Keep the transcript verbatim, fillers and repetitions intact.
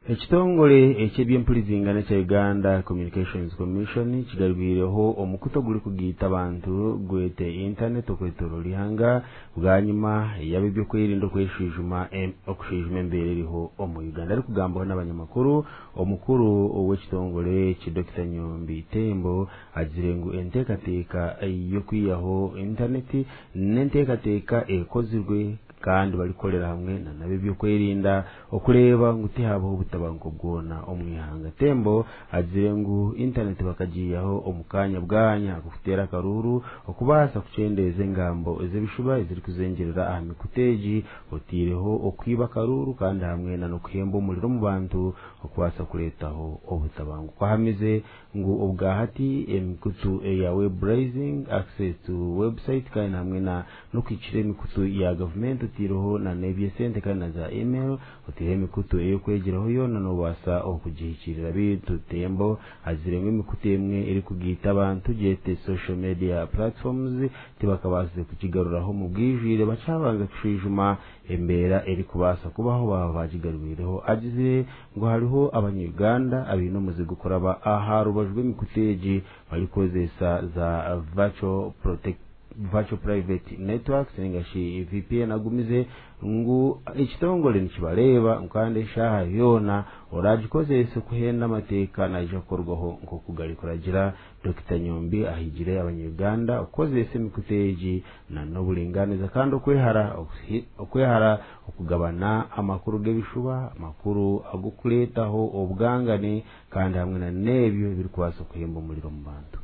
Ekitongore eky'ebyempurizingana kya Uganda Communications Commission kigarwireho omukutu ogurikugaita abantu gwete internet okwetooroora ihanga bwanyima y'ab'ebyokwerinda okweshwijuma okushwijuma embeera eriho omu Uganda. Arikugambaho n'abanyamakuru, omukuru ow'ekitongore eki Dokita Nyombi Tembo agizire ngu enteekateeka y'okwihaho internet n'enteekateeka ekozirwe kandi barikukorera hamwe n'ab'ebyokwerinda okureeba ngu tihabaho obutabanguko bwona omu ihanga. Tembo agizire ngu internet bakagiihaho omu kanya bwanya ak'okuteera akaruuru okubaasa kukyendeeza engambo ez'ebishuba ezirikuzengyerera aha mikutu egi, oteireho okwiba akaruuru kandi hamwe n'okuhemba omuriro omu bantu okubaasa kureetaho obutabanguko. Ahamize ngu obwahati emikutu eya web browsing, access to website kandi hamwe n'okuhikira emikutu ya gavumenti, oteireho n'eby'esente kandi na za email, oteireho emikutu ey'okwegyeraho yoona noobaasa okugihikirira. Beitu Tembo agizire ngu emikutu emwe erikugaita abantu gyete social media platforms tibakabaasize kugigaruraho omu bwijwire, bakyabanza kushwijuma embeera erikubaasa kubaho baaba bagigarwireho. Agizire ngu hariho abanya-Uganda abaine omuze gw'okuraba aha rubaju rw'emikutu egi barikukozesa za virtual protect virtual private networks ningashi V P N. Agumize ngu ekitongore nikibareeba kandi eshaaha yoona oragikozese kuhenda amateeka naija kukorwaho nk'oku garikuragira. Dokita Nyombi ahigire abanya-Uganda okukozesa emikutu egi n'oburingaaniza kandi okwehara okwehara okugabana amakuru g'ebishuba, amakuru ag'okureetaho obwangane kandi hamwe n'ebyo ebirikubaasa kuhemba omuriro omu bantu.